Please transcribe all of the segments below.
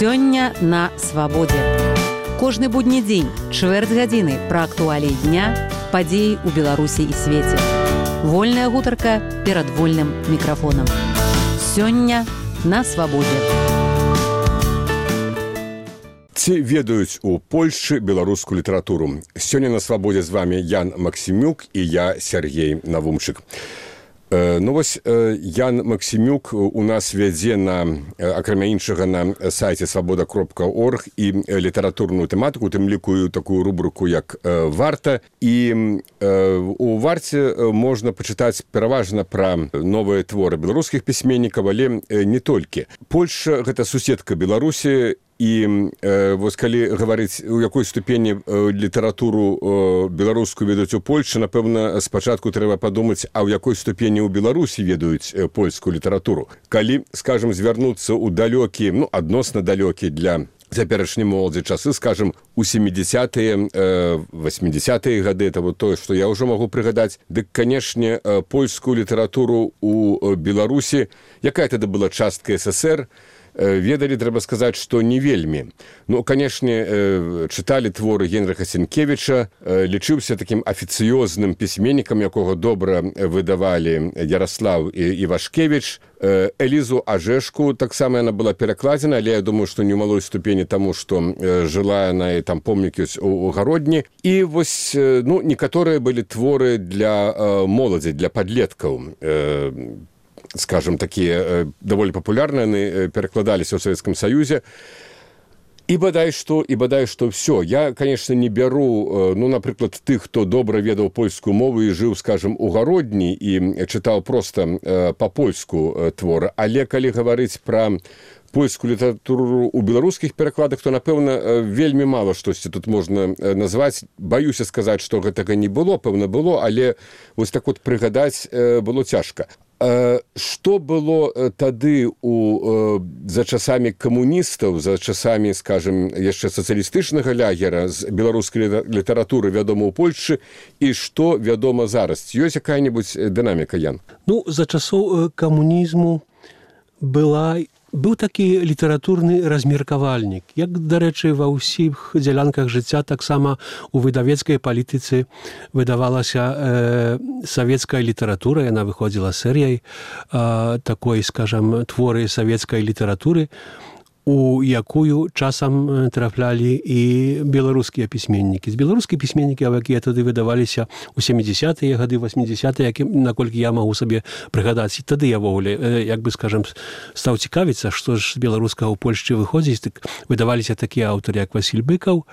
Сёння на свабодзе. Кожны будні дзень, чвэрць гадзіны пра актуаліі дня, падзеі ў Беларусі і свеце. Вольная гутарка перад вольным мікрафонам. Сёння на свабодзе. Ці ведаюць у Польшчы беларускую літаратуру? Сёння на свабодзе з вами Ян Максімюк і я Сергей Навумчык. Ну вось Ян Максімюк у нас вядзе акрамя іншага на сайце свабода.орг і літаратурную тэматыку, тым ліку такую рубрыку як «Варта». І у «Варце» можна пачытаць пераважна пра новыя творы беларускіх пісьменнікаў, але не толькі. Польшча – гэта суседка Беларусі, і вось калі гаварыць, у якой ступені літаратуру беларускую ведаюць у Польшчы, напэўна, спачатку трэба падумаць, а ў якой ступені ў Беларусі ведаюць польскую літаратуру. Калі, скажам, звярнуцца ў далёкі, адносна далёкі для цяперашняй моладзі часы, скажам, у 70-е, 80-е гады, это вот тое, што я ўжо магу прыгадаць, дык, канешне, польскую літаратуру ў Беларусі, якая тады была частка СССР, ведалі, трэба сказаць, што не вельмі. Ну, канешне, чыталі творы Генрыха Сенкевіча, лічыўся такім афіцыёзным пісьменнікам, якога добра выдавалі Яраслаў Івашкевіч. Элізу Ажэшку таксама яна была перакладзена, але я думаю, што не ў малой ступені таму, што жыла яна і там помнікі ў Гародні. І вось, некаторыя былі творы для моладзі, для падлеткаў. Скажем, такія даволі папулярныя, перакладаліся ў Савецкім Саюзе. І бадай што ўсё. Я, конечно, не бяру, напрыклад, тых, хто добра ведаў польскую мову і жыў, скажем, у Гародні і чытаў проста па-польску творы. Але калі гаварыць пра польскую літаратуру ў беларускіх перакладах, то, напэўна, вельмі мала штосьці тут можна назваць. Баюся сказаць, што гэтага не было, пэўна было, але вось так вот прыгадаць было цяжка. Што было тады за часамі камуністаў, за часамі, скажем, яшчэ сацыялістычнага лягера з беларускай літаратуры вядома ў Польшчы і што вядома зараз? Ёсць якая-небудзь дынаміка, Ян? За часоў камунізму быў такі літаратурны размеркавальнік. Як, дарэчы, ва ўсіх дзялянках жыцця, таксама у выдавецкай палітыцы выдавалася савецкая літаратура, яна выходзіла серыяй такой, скажам, творы савецкай літаратуры, у якую часам траплялі і беларускія пісьменнікі. З беларускія пісьменнікі, якія тады выдаваліся ў 70-е гады, 80-е, наколькі я магу сабе прыгадаць. І тады я ввогуле, як бы, скажам, стаў цікавіцца, што ж з беларускага ў Польшчы выходзіць. Выдаваліся такія аўтары, як Васіль Быкаў,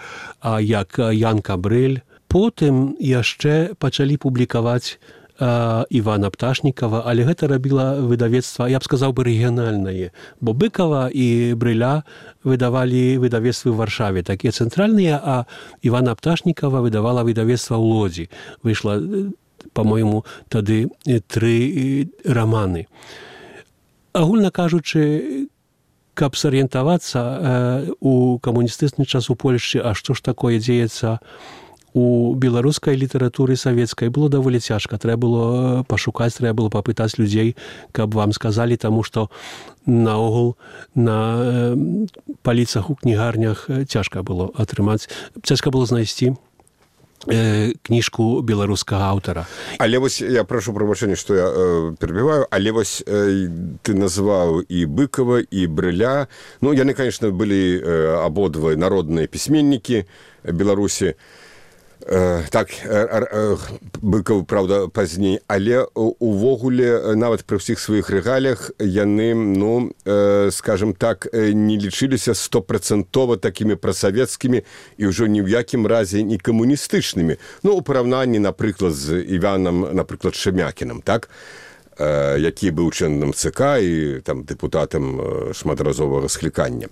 як Ян Кабрэль. Потым яшчэ пачалі публікаваць Івана Пташнікава, але гэта рабіла выдавецтва, я б сказаў бы, рэгіянальнае. Бо Быкава і Брыля выдавалі выдавецтвы ў Варшаве, такія цэнтральныя, а Івана Пташнікава выдавала выдавецтва ў Лодзі. Выйшла, па-мойму, тады 3 раманы. Агульна кажучы, каб сарыентавацца у камуністычны час у Польшчы, а што ж такое дзеецца у беларускай літаратуры савецкай, было даволі цяжка. Трэба было пашукаць, трэба было папытаць людзей, каб вам сказалі, таму што наогул на паліцах у кнігарнях цяжка было атрымаць, цяжка было знайсці кніжку беларускага аўтара. Але вось, я прашу прабачэння, што я перабіваю, але вось ты назваў і Быкава, і Брыля. Яны, конечно, былі абодва народныя пісьменнікі Беларусі. Так, Быкаў, правда, пазней, але увогуле, нават пры ўсіх сваіх рэгаліях, яны, скажем так, не лічыліся 100% такімі прасавецкімі і ўжо ні ў якім разе не камуністычнымі. У параўнанні, напрыклад, з Іванам, напрыклад, Шемякінам, так? Які быў членам ЦК і там дэпутатам шматразовых скліканняў.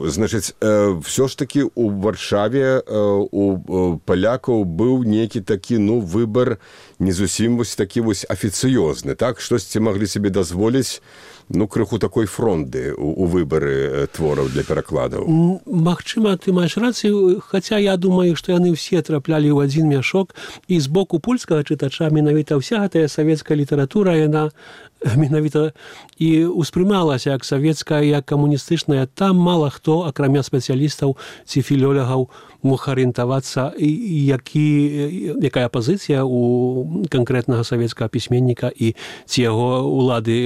Значыць, ўсё ж такі у Варшаве у палякаў быў нейкі такі, выбар не зусім вось такі вось афіцыёзны, так? Штосьці маглі сабе дазволіць крыху такой фронды у выбары твораў для перакладаў. Магчыма, ты маеш рацыю, хаця я думаю, што яны ўсе траплялі ў адзін мяшок, і з боку польскага чытача менавіта ўся гэтая савецкая літаратура, яна менавіта і ўспрымалася як савецкая, як камуністычная, там мала хто, акрамя спецыялістаў ці філёлагаў, мог арыентавацца, якая пазіцыя у канкрэтнага савецкага пісьменніка і ці яго улады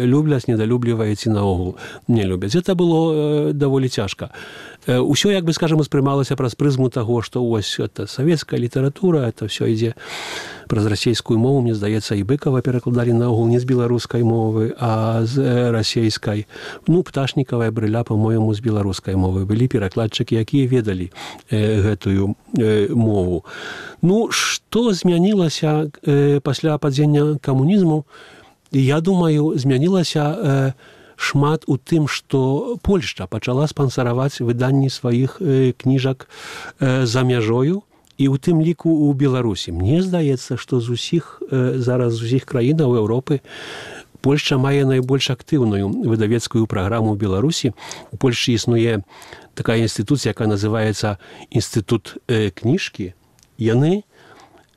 любляць, недалюбліваюць ці наогул не любяць. Гэта было даволі цяжка. Усё, як бы, скажем, успрымалася праз прызму таго, што вось это савецкая літаратура, это ўсё ідзе праз расейскую мову. Мне здаецца, і Быкова перакладалі наогул не з беларускай мовы, а з расейскай. Пташнікава і Брыля, па-моему, з беларускай мовы. Былі перакладчыкі, якія ведалі гэтую мову. Што змянілася пасля падзення камунізму? Я думаю, змянілася шмат у тым, што Польшча пачала спансараваць выданні сваіх кніжак за мяжою, і ў тым ліку ў Беларусі. Мне здаецца, што зараз з усіх краінаў Еўропы Польшча мае найбольш актыўную выдавецкую праграму ў Беларусі. У Польшчы існуе такая інстытуцыя, якая называецца Інстытут кніжкі. Яны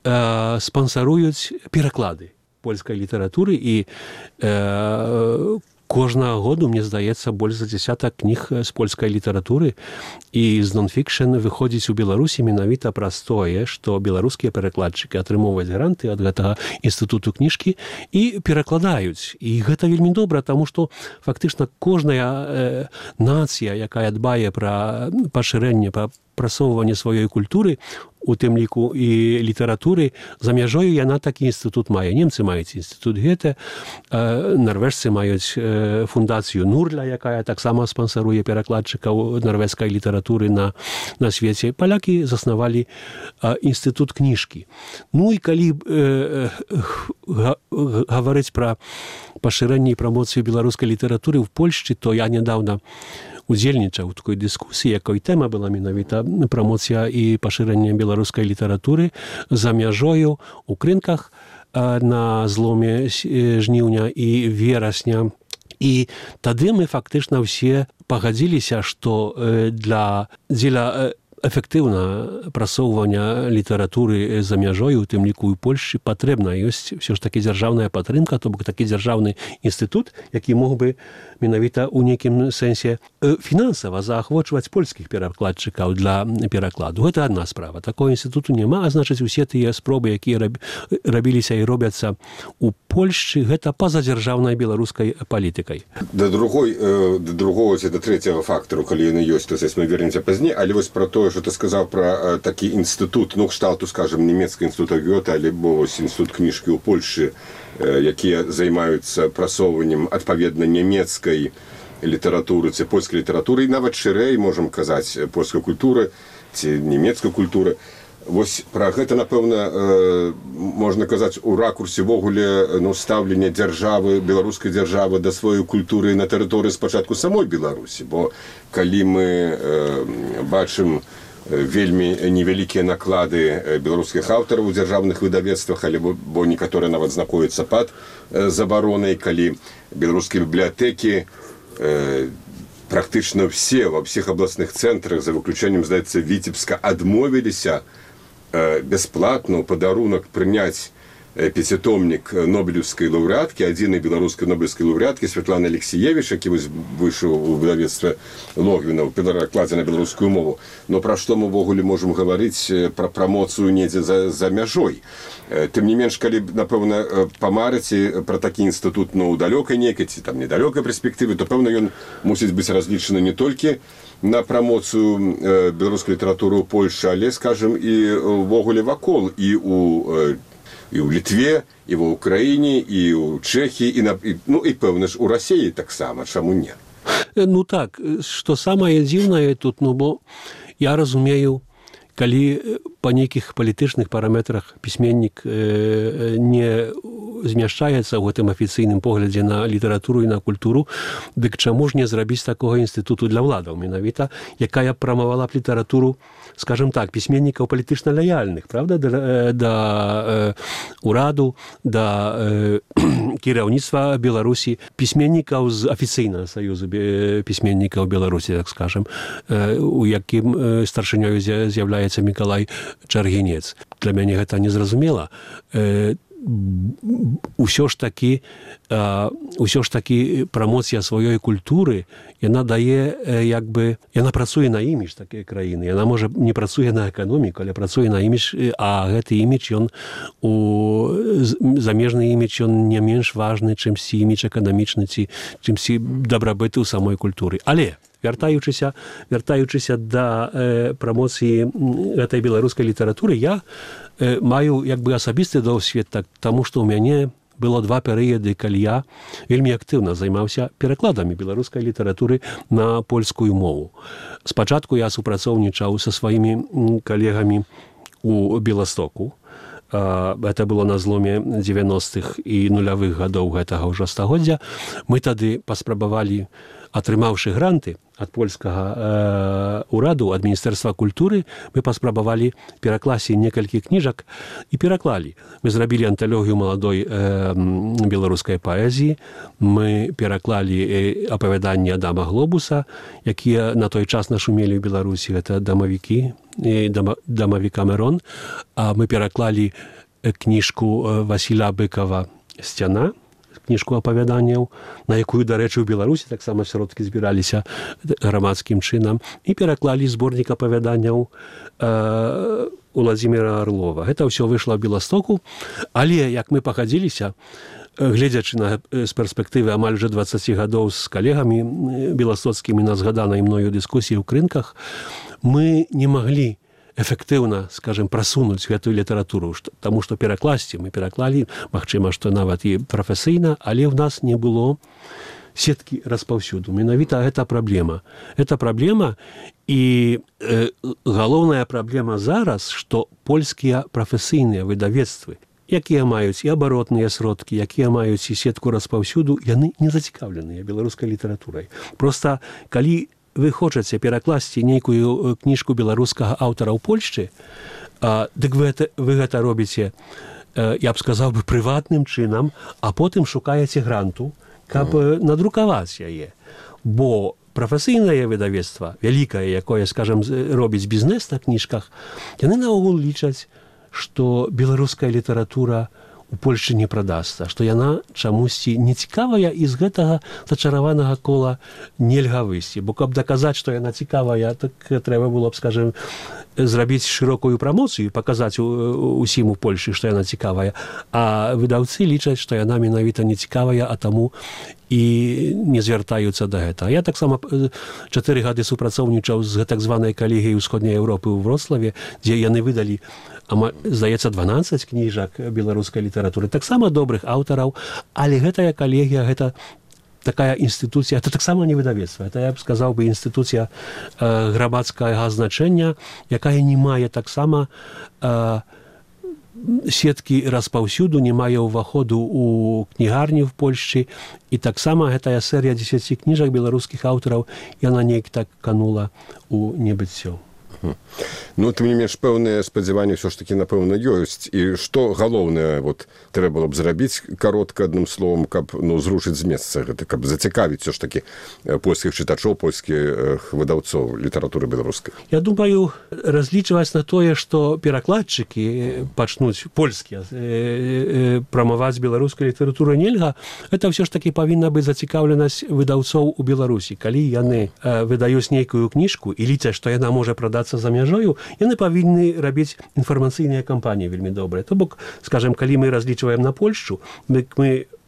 спансаруюць пераклады польскай літаратуры і кожнага году, мне здаецца, больш за 10 кніг з польскай літаратуры і з нон-фікшн выходзіць у Беларусі менавіта праз тое, што беларускія перакладчыкі атрымоўваюць гранты ад гэтага інстытуту кніжкі і перакладаюць. І гэта вельмі добра, таму што фактычна кожная нацыя, якая дбае пра пашырэнне, пра прасоўванне сваёй культуры, у тым ліку і літаратуры, за мяжою яна такі інстытут мае. Немцы маюць інстытут Гёте, нарвежцы маюць фундацыю Нурля, якая таксама спансаруе перакладчыкаў нарвежскай літаратуры на свеце. Палякі заснавалі інстытут кніжкі. І калі гаварыць пра пашырэнне і прамоцыю беларускай літаратуры ў Польшчы, то я нядаўна удзельнічаў у такой дыскусіі, якой тэма была менавіта прамоцыя і пашырэнне беларускай літаратуры за мяжою у Крынках на зломе жніўня і верасня. І тады мы фактычна ўсе пагадзіліся, што дзеля эфектыўна прасоўвання літаратуры за мяжою, у тым ліку і Польшчы, патрэбна ёсць ўсё ж такі дзяржаўная падтрымка, то бок такі дзяржаўны інстытут, які мог бы менавіта ў нейкім сэнсе фінансава заахвочваць польскіх перакладчыкаў для перакладу. Гэта адна справа. Такого інстытуту няма, а значыць, усе тыя спробы, якія рабіліся і робяцца у Польшчы, гэта па-за дзяржаўнай беларускай палітыкай. Да другого, ці да трэцяга фактару, калі яны ёсць, то мы вернемся пазней, але вось пра тое, што ты сказаў пра такі інстытут, кшталту, скажем, нямецкага інстытута Гёте, альбо інстытут кніжкі ў Польшчы, якія займаюцца прасоўваннем адпаведна нямецкай літаратуры ці польскай літаратуры, і нават шырэй, можам казаць, польскай культуры ці нямецкай культуры. Вось пра гэта, напэўна, можна казаць у ракурсе ввогуле стаўлення дзяржавы, беларускай дзяржавы да сваёй культуры на тэрыторыі спачатку самой Беларусі. Бо калі мы бачым вельмі невялікія наклады беларускіх аўтараў у дзяржаўных выдавецтвах, бо некаторыя нават знаходзяцца пад забаронай, калі беларускія бібліятэкі практычна все ва ўсіх абласных цэнтрах, за выключэннем, здаецца, Віцебска, адмовіліся бясплатна ў падарунак прыняць пяцітомнік нобелеўскай лаўрэаткі, адзінай беларускай нобелеўскай лаўрэаткі Святланы Алексіевіч, які выйшаў у выдавецтве Логвіна ў перакладзе на беларускую мову. Но пра што мы ўвогуле можам гаварыць пра прамоцыю недзе за мяжой? Тым не менш, калі, напэўна, памарыць пра такі інстытут ў далёкай нейкай ці там недалёкай перспектыве, то, пэўна, ён мусіць быць разлічаны не толькі на прамоцыю беларускай літаратуры ў Польшчы, але, скажем, і ўвогуле вакол, і ў Літве, і ва Ўкраіне, і ў Чэхіі, і пэўна ж у Расіі таксама, чаму не? Так, што самае дзіўнае тут, бо я разумею, калі па нейкіх палітычных параметрах пісьменнік не змяшчаецца ў гэтым афіцыйным поглядзе на літаратуру і на культуру, дык чаму ж не зрабіць такога інстытуту для ўладаў менавіта, якая прамавала б літаратуру, скажем так, пісьменнікаў палітычна лаяльных, правда, да ўраду, да кіраўніцтва Беларусі, пісьменнікаў з афіцыйнага саюзу пісьменнікаў Беларусі, так скажем, у якім старшынёю з'яўляецца Мікалай Чаргінец. Для мяне гэта незразумела. ўсё ж такі прамоцыя сваёй культуры, яна дае, яна працуе на імідж такой краіны. Яна, можа, не працуе на эканоміку, але працуе на імідж, а гэты імідж, замежны імідж, ён не менш важны, чымсьці імідж эканамічны, ці чымсьці дабрабыту ў самой культуры. Але вяртаючыся да прамоцыі гэтай беларускай літаратуры, я маю асабісты досвед, таму што ў мяне было 2 перыяды, калі я вельмі актыўна займаўся перакладамі беларускай літаратуры на польскую мову. Спачатку я супрацоўнічаў са сваімі калегамі у Беластоку. Это было на зломе 90-х і нулявых гадоў гэтага ўжо стагоддзя. Мы тады паспрабавалі, атрымаўшы гранты ад польскага ураду, ад Міністэрства культуры, мы паспрабавалі перакласці некалькі кніжак і пераклалі. Мы зрабілі анталогію маладой беларускай паэзіі, мы пераклалі апавяданні Адама Глобуса, якія на той час нашумелі ў Беларусі, гэта дамавік Камерон, а мы пераклалі кніжку Васіля Быкова «Сцяна», кніжку апавяданняў, на якую, дарэчы, у Беларусі таксама сродкі збіраліся грамадскім чынам, і пераклалі зборнік апавяданняў Уладзіміра Арлова. Гэта ўсё выйшла ў Беластоку, але, як мы пахадзіліся, гледзячы з перспектывы амаль уже 20 гадоў з калегамі беластоцкімі на згаданай мною дыскусіі ў крынках, мы не маглі эфектыўна, скажем, прасунуць гэтую літаратуру, таму што перакласці мы пераклалі, магчыма, што нават і прафесійна, але ў нас не было сеткі распаўсюду. Менавіта гэта праблема. Гэта праблема, і галоўная праблема зараз, што польскія прафесійныя выдавецтвы, якія маюць і абаротныя сродкі, якія маюць і сетку распаўсюду, яны не зацікаўленыя беларускай літаратурай. Проста, калі вы хочаце перакласці нейкую кніжку беларускага аўтара ў Польшчы, дык вы гэта робіце, я б сказаў бы, прыватным чынам, а потым шукаеце гранту, каб надрукаваць яе. Бо прафесійнае выдавецтва, вялікае, якое, скажем, робіць бізнес на кніжках, яны наогул лічаць, што беларуская літаратура у Польшчы не прадасца, што яна чамусьці нецікавая, і з гэтага зачараванага кола нельга выйсці. Бо каб даказаць, што яна цікавая, так трэба было б, скажем, зрабіць шырокую прамоцыю, паказаць усім у Польшчы, што яна цікавая. А выдаўцы лічаць, што яна менавіта не цікавая, а таму і не звяртаюцца да гэтага. Я таксама 4 гады супрацоўнічаў з так званай калегіяй Усходняй Еўропы ў Вроцлаве, дзе яны выдалі, здаецца, 12 кніжак беларускай літаратуры, таксама добрых аўтараў, але гэтая калегія, гэта такая інстытуцыя, это таксама не выдавецтва, это, я б сказаў бы, інстытуцыя грамадскага значэння, якая не мае таксама сеткі распаўсюду, не мае ўваходу ў кнігарні в Польшчы, і таксама гэтая серыя 10 кніжак беларускіх аўтараў, яна неяк так канула ў небыццё. Ну, тым не менш, пэўныя спадзяванні ўсё ж такі, напэўна, ёсць. І што галоўнае трэба было б зрабіць каротка, адным словам, каб зрушыць з месца гэта, каб зацікавіць ўсё ж такі польскіх чытачоў, польскіх выдаўцоў літаратуры беларускай? Я думаю, разлічваць на тое, што перакладчыкі пачнуць польскія прамаваць беларускай літаратуры нельга, гэта ўсё ж такі павінна быць зацікаўленасць выдаўцоў у Беларусі. Калі яны выдаюць нейкую кніжку і лічаць, што яна можа прадацца за мяжою, яны павінны рабіць інфармацыйныя кампаніі вельмі добрыя. То бок, скажем, калі мы разлічваем на Польшчу, мы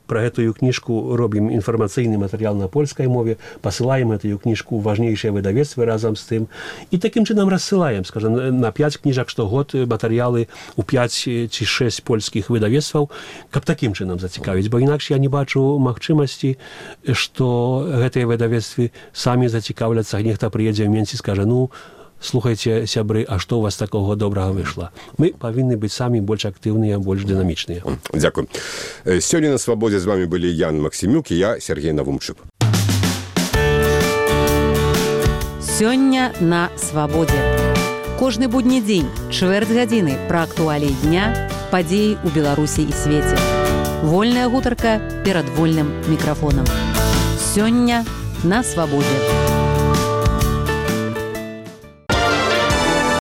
пра гэтую кніжку робім інфармацыйны матэрыял на польскай мове, пасылаем гэтую кніжку ў важнейшыя выдавецтвы разам з тым, і такім чынам рассылаем, скажем, на 5 кніжак штогод матэрыялы ў 5 ці 6 польскіх выдавецтваў, каб такім чынам зацікавіць, бо інакш я не бачу магчымасці, што гэтыя выдавецтвы самі зацікаўляцца, нехта прыедзе ў Менск і скажа, слухайце, сябры, а што у вас такога добрага выйшла? Мы павінны быць самі больш актыўныя, больш дынамічныя. Дзякуй. Сёння на Свабодзе з вами былі Ян Максімюк і я, Сергей Навумчык. Сёння на Свабодзе. Кожны будні дзень, чвэрць гадзіны пра актуаліі дня, падзеі ў Беларусі і свеце. Вольная гутарка перад вольным мікрафонам. Сёння на Свабодзе.